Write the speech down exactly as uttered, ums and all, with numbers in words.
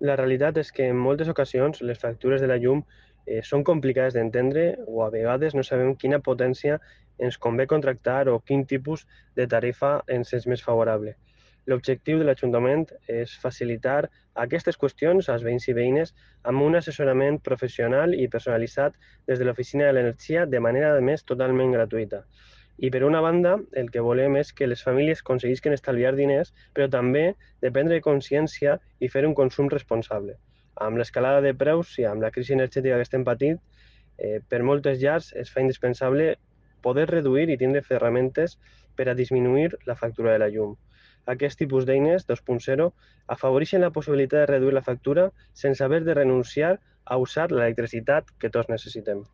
La realitat és que en moltes ocasions les factures de la llum eh, són complicades d'entendre o a vegades no sabem quina potència ens convé contractar o quin tipus de tarifa ens és més favorable. L'objectiu de l'Ajuntament és facilitar aquestes qüestions als veïns i veïnes amb un assessorament professional i personalitzat des de l'Oficina de l'Energia de manera, a més, totalment gratuïta. I per una banda, el que volem és que les famílies aconseguisquen estalviar diners, però també de prendre consciència i fer un consum responsable. Amb l'escalada de preus i amb la crisi energètica que estem patint, eh, per moltes llars es fa indispensable poder reduir i tindre ferramentes per a disminuir la factura de la llum. Aquest tipus d'eines dos punt zero afavoreixen la possibilitat de reduir la factura sense haver de renunciar a usar l'electricitat que tots necessitem.